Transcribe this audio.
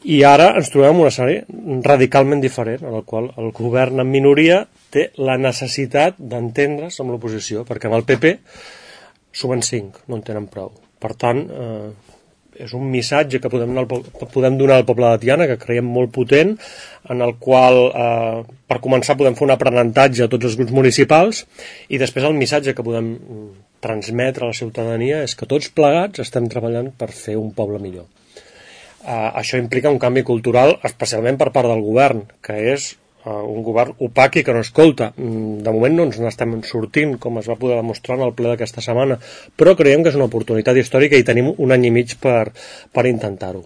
I ara ens trobem en un escenari radicalment diferent, en el qual el govern en minoria té la necessitat d'entendre's amb l'oposició, perquè amb el PP sumen 5, no en tenen prou. Per tant, és un missatge que podem donar al poble de Tiana, que creiem molt potent, en el qual, per començar, podem fer un aprenentatge a tots els grups municipals, i després el missatge que podem transmetre a la ciutadania és que tots plegats estem treballant per fer un poble millor. Això implica un canvi cultural, especialment per part del govern, que és un govern opac i que no escolta. De moment no ens n'estem sortint, com es va poder demostrar en el ple d'aquesta setmana, però creiem que és una oportunitat històrica i tenim un any i mig per intentar-ho.